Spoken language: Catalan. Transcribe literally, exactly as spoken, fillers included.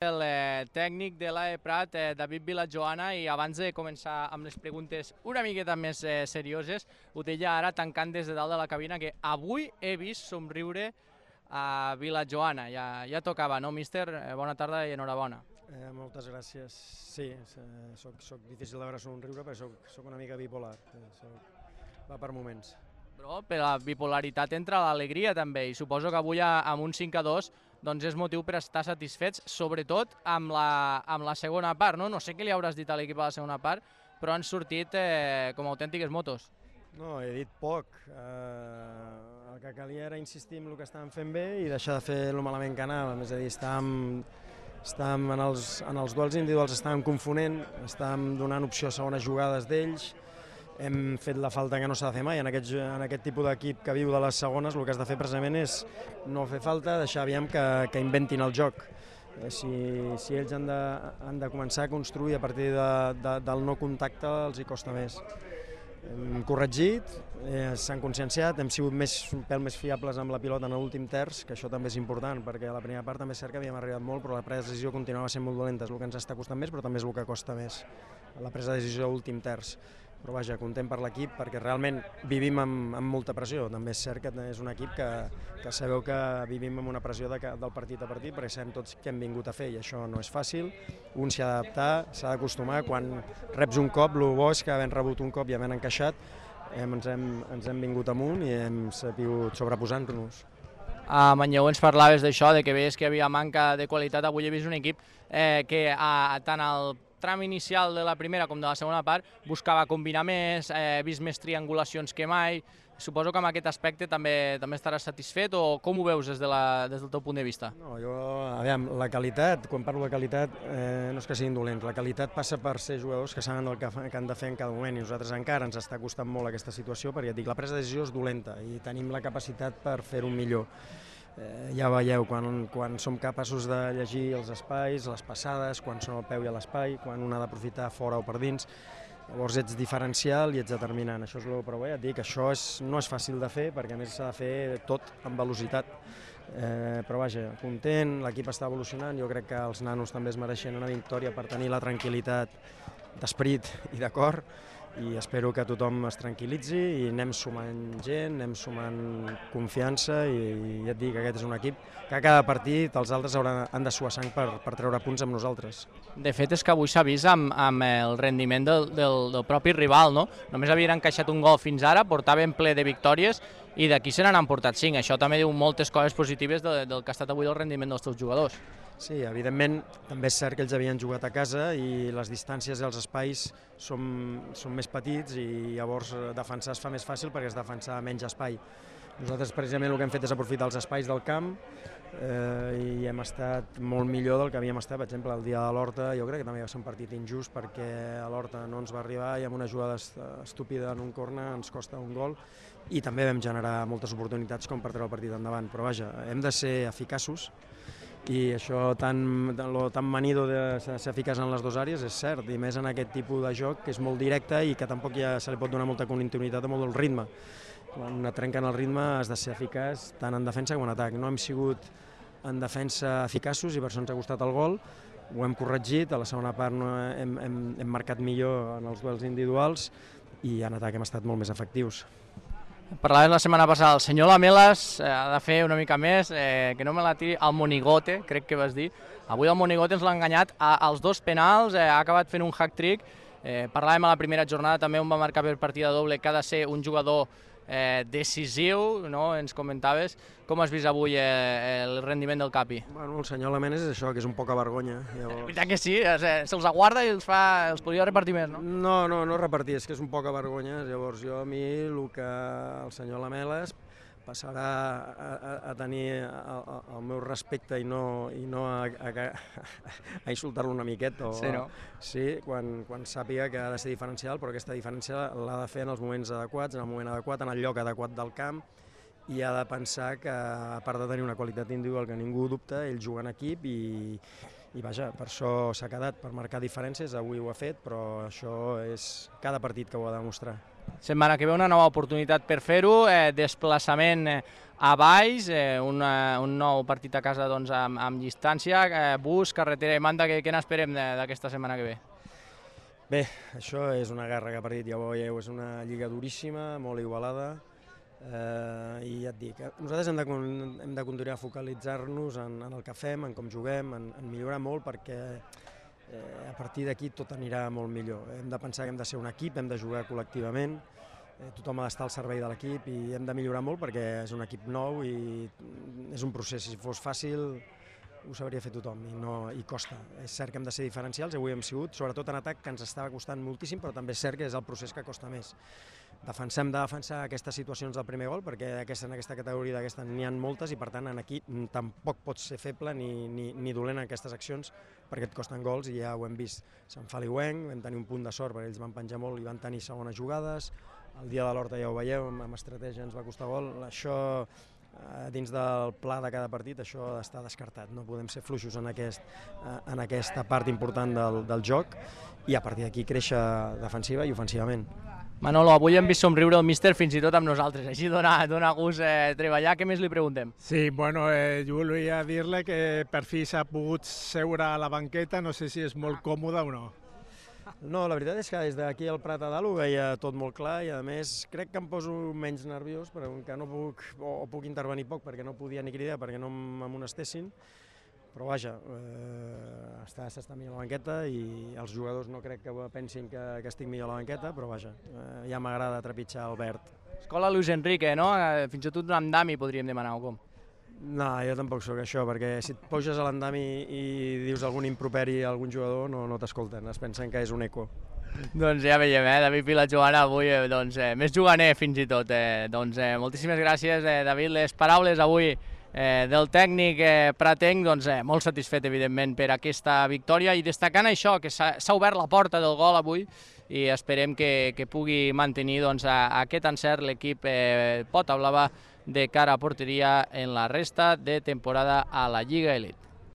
El eh, tècnic de l'A E Prat, eh, David Vilajoana, i abans de començar amb les preguntes una miqueta més eh, serioses, ho deia ara tancant des de dalt de la cabina, que avui he vist somriure a Vilajoana. Ja, ja tocava, no, míster? Eh, bona tarda i enhorabona. Eh, moltes gràcies. Sí, eh, soc, soc difícil de veure somriure perquè soc, soc una mica bipolar. Eh, soc, va per moments. Però per la bipolaritat entra l'alegria també, i suposo que avui amb un cinc a dos doncs és motiu per estar satisfets, sobretot amb la, amb la segona part, no? No sé què li hauràs dit a l'equip a la segona part, però han sortit eh, com autèntiques motos. No, he dit poc. Eh, el que calia era insistir en el que estàvem fent bé i deixar de fer el malament que anàvem. És a dir, estàvem, estàvem en, els, en els duels individuals estàvem confonent, estàvem donant opció a segones jugades d'ells, hem fet la falta que no s'ha de fer mai. En aquest, en aquest tipus d'equip que viu de les segones el que has de fer precisament és no fer falta, deixar aviam que, que inventin el joc. Eh, si, si ells han de, han de començar a construir a partir de, de, del no contacte els hi costa més. Hem corregit, eh, s'han conscienciat, hem sigut més, un pèl més fiables amb la pilota en l'últim terç, que això també és important, perquè a la primera part també és cert que havíem arribat molt, però la presa de decisió continuava sent molt dolenta, és el que ens està costant més, però també és el que costa més, la presa de decisió a l'últim terç. Però vaja, content per l'equip perquè realment vivim amb, amb molta pressió. També és cert que és un equip que, que sabeu que vivim amb una pressió de, del partit a partit perquè sabem tots què hem vingut a fer i això no és fàcil. Un s'hi ha d'adaptar, s'ha d'acostumar. Quan reps un cop, el bo és que havent rebut un cop i havent encaixat hem, ens, hem, ens hem vingut amunt i hem sabut sobreposar-nos. A Manlleu ens parlaves d'això, de que veies que hi havia manca de qualitat. Avui he vist un equip eh, que a, tant al tram inicial de la primera com de la segona part buscava combinar més, he vist més triangulacions que mai. Suposo que amb aquest aspecte també també estaràs satisfet, o com ho veus des, de la, des del teu punt de vista? No, jo, aviam, la qualitat, quan parlo de qualitat, eh, no és que siguin dolents, la qualitat passa per ser jugadors que saben el que, fa, que han de fer en cada moment, i nosaltres encara ens està costant molt aquesta situació, perquè et dic, la presa de decisió és dolenta i tenim la capacitat per fer-ho millor. Eh, ja veieu, quan, quan som capaços de llegir els espais, les passades, quan són al peu i a l'espai, quan un ha d'aprofitar fora o per dins, llavors ets diferencial i ets determinant. Això és el que ja et dic, això és, no és fàcil de fer, perquè a més s'ha de fer tot amb velocitat. Eh, però vaja, content, l'equip està evolucionant, jo crec que els nanos també es mereixen una victòria per tenir la tranquil·litat d'esperit i de cor, i espero que tothom es tranquil·litzi i anem sumant gent, anem sumant confiança, i ja et dic que aquest és un equip que a cada partit els altres hauran, han de suar sang per, per treure punts amb nosaltres. De fet és que avui s'ha vist amb, amb el rendiment del, del, del propi rival, no? Només havien encaixat un gol fins ara, portaven ple de victòries i d'aquí se n'han emportat cinc. Això també diu moltes coses positives de, del que ha estat avui el rendiment dels teus jugadors. Sí, evidentment, també és cert que ells havien jugat a casa i les distàncies i els espais són, són més petits i llavors defensar es fa més fàcil perquè es defensa menys espai. Nosaltres precisament el que hem fet és aprofitar els espais del camp eh, i hem estat molt millor del que havíem estat. Per exemple, el dia de l'Horta jo crec que també va ser un partit injust perquè a l'Horta no ens va arribar i amb una jugada estúpida en un corner ens costa un gol, i també vam generar moltes oportunitats com per treure el partit endavant. Però vaja, hem de ser eficaços, i això tan, lo tan manido de ser eficaç en les dues àrees és cert, i més en aquest tipus de joc que és molt directe i que tampoc ja se li pot donar molta continuïtat a molt del ritme. Quan et trenquen el ritme has de ser eficaç tant en defensa com en atac. No hem sigut en defensa eficaços i per això ens ha costat el gol, ho hem corregit, a la segona part no hem, hem, hem marcat millor en els duels individuals i en atac hem estat molt més efectius. Parlaves la setmana passada, el senyor Lamelas eh, ha de fer una mica més, eh, que no me la tiri al monigote, crec que vas dir. Avui el monigote ens l'ha enganyat a, als dos penals, eh, ha acabat fent un hack-trick. Eh, parlàvem a la primera jornada també on va marcar per partida doble, que ha de ser un jugador eh, decisiu, no? Ens comentaves. Com has vist avui eh, el rendiment del Capi? Bueno, el senyor Lamelas és això, que és un poca vergonya. Llavors... És veritat que sí, se'ls aguarda i els, fa, els podria repartir més, no? No, no, no repartir, és que és un poca vergonya. Llavors jo a mi el que el senyor Lamelas passarà a, a, a tenir el, el meu respecte i no, i no a, a, a insultar-lo una miqueta. O, sí, no? Sí, quan, quan sàpiga que ha de ser diferencial, però aquesta diferència l'ha de fer en els moments adequats, en el moment adequat, en el lloc adequat del camp, i ha de pensar que, a part de tenir una qualitat individual que ningú dubta, ell juga en equip i, i vaja, per això s'ha quedat, per marcar diferències, avui ho ha fet, però això és cada partit que ho ha de demostrar. Setmana que ve una nova oportunitat per fer-ho, eh, desplaçament a Valls, eh, una, un nou partit a casa doncs, amb, amb distància, eh, bus, carretera i manta, què, què n'esperem d'aquesta setmana que ve? Bé, això és una guerra que ha partit, ja ho veieu, és una lliga duríssima, molt igualada, eh, i ja et dic, nosaltres hem de, hem de continuar a focalitzar-nos en, en el que fem, en com juguem, en, en millorar molt, perquè eh, a partir d'aquí tot anirà molt millor. Hem de pensar que hem de ser un equip, hem de jugar col·lectivament, eh, tothom ha d'estar al servei de l'equip i hem de millorar molt perquè és un equip nou i és un procés. Si fos fàcil ho sabria fer tothom i, no, i costa. És cert que hem de ser diferencials, avui hem sigut, sobretot en atac, que ens estava costant moltíssim, però també és cert que és el procés que costa més. Defensem de defensar aquestes situacions del primer gol, perquè aquesta, en aquesta categoria d'aquesta n'hi ha moltes i per tant en aquí tampoc pots ser feble ni, ni, ni dolent en aquestes accions perquè et costen gols i ja ho hem vist. Sant Feliuenc, vam tenir un punt de sort perquè ells van penjar molt i van tenir segones jugades, el dia de l'Horta ja ho veieu, amb estratègia ens va costar gol, això dins del pla de cada partit això està descartat, no podem ser fluixos en, aquest, en aquesta part important del, del joc i a partir d'aquí créixer defensiva i ofensivament. Manolo, avui hem vist somriure el míster fins i tot amb nosaltres, així dona, dona gust eh, treballar. Què més li preguntem? Sí, bueno, eh, jo volia dir-li que per fi s'ha pogut seure a la banqueta, no sé si és molt còmode o no. No, la veritat és que des d'aquí al Prat a dalt ho veia tot molt clar i a més crec que em poso menys nerviós perquè no puc, o puc intervenir poc perquè no podia ni cridar perquè no m'amonestessin. Però vaja, eh, s'està millor a la banqueta i els jugadors no crec que pensin que, que estic millor a la banqueta, però vaja, eh, ja m'agrada trepitjar el verd. Escola Luis Enrique, no? Fins i tot un andami podríem demanar, o com? No, jo tampoc sóc això, perquè si et puges a l'andami i dius algun improperi a algun jugador no, no t'escolten, es pensen que és un eco. Doncs ja veiem, eh? David Vilajoana avui eh, doncs, eh, més juganer fins i tot. Eh? Doncs eh, moltíssimes gràcies, eh, David, les paraules avui Eh, del tècnic eh, pratenc, doncs, eh, molt satisfet evidentment per aquesta victòria i destacant això, que s'ha obert la porta del gol avui i esperem que, que pugui mantenir doncs, a, a aquest encert l'equip eh, Pota Blava de cara a porteria en la resta de temporada a la Lliga Elite.